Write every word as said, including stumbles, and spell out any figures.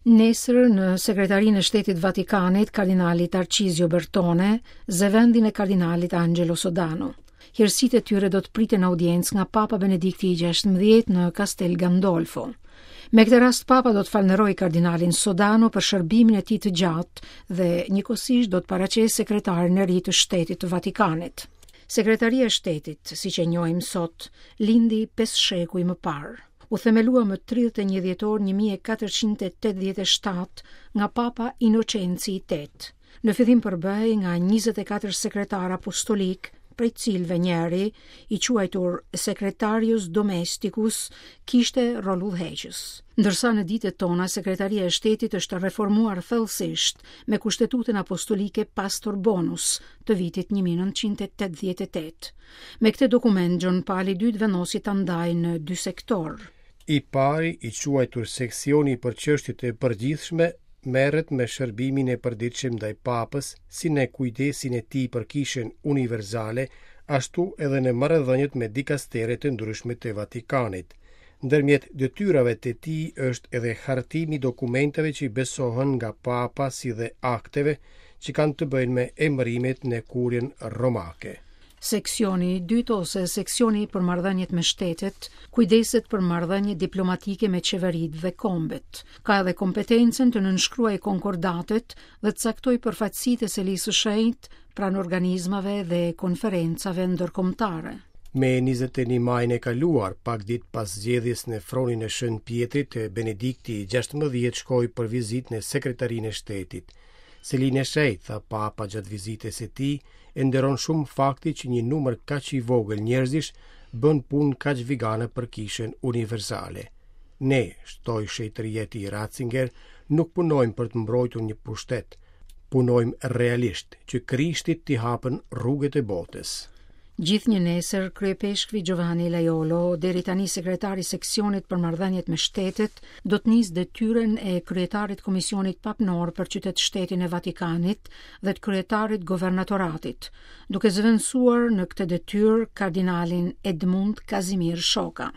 Nesër në Sekretarinë e Shtetit Vatikanit, kardinali Tarcizio Bertone zë vendin e kardinalit Angelo Sodano. Hirësitë e tyre do të priten në audiencë nga Papa Benedikti i gjashtëmbëdhjetë në Castel Gandolfo. Me këtë rast Papa do të falënderojë kardinalin Sodano për shërbimin e tij të gjatë dhe njëkohësisht do të paraqesë sekretarin e ri të Shtetit të Vatikanit. Sekretaria e Shtetit, siç e njohim sot, lindi pesë shekuj më parë. U themelua më tridhjetë e një dhjetor një mijë e katërqind e tetëdhjetë e shtatë nga Papa Inocenci i Tetë. Në fillim përbëhej nga njëzet e katër sekretar apostolik, prej cilëve njëri, i quajtur Secretarius Domesticus, kishte rol udhëheqës. Ndërsa në ditët tona Sekretaria e Shtetit është reformuar thellësisht me Kushtetutën Apostolike Pastor Bonus të vitit një mijë e nëntëqind e tetëdhjetë e tetë. Me këtë dokument Gjon Pali i Dytë vendosi ta ndajë në dy sektorë. I pari, i quajtur seksioni për çështjet e përgjithshme, merret me shërbimin e përditshëm ndaj Papës, si në kujdesin e tij për Kishën Universale, ashtu edhe në marrëdhëniet me dikastere të ndryshme të Vatikanit. Ndërmjet detyrave të tij është edhe hartimi i dokumenteve që i besohen nga Papa, si dhe akteve që kanë të bëjnë me emërimet në kurjen romake. Seksioni i dytë ose seksioni për marrëdhëniet me shtetet kujdeset për marrëdhëniet diplomatike me qeveritë dhe kombet. Ka edhe kompetencën të nënshkruajë konkordatet dhe të caktojë përfaqësitë e Selisë së Shenjtë pranë organizmave dhe konferencave ndërkombëtare. Me njëzet e një majin e kaluar, pak ditë pas zgjedhjes në fronin e Shën Pietrit, Benedikti i gjashtëmbëdhjetë shkoi për vizitë në Sekretarinë e Shtetit. Selinë e Shenjtë, tha Papa gjatë vizitës së tij, e nderon shumë fakti që një numër kaq i vogël njerëzish bën punë kaq vigane për Kishën Universale. Ne, shtoi shenjtëria e tij Ratzinger, nuk punojmë për të mbrojtur një pushtet, punojmë realisht që Krishtit t'i hapen rrugët e botës. Gjithnjë nesër, kryepeshkvi Giovanni Lajolo, deri tani sekretari i seksionit për marrëdhëniet me shtetet, do të nisë detyrën e kryetarit të Komisionit Papnor për qytet shtetin e Vatikanit dhe të kryetarit governatoratit, duke zëvendësuar në këtë detyrë kardinalin Edmund Kazimir Shoka.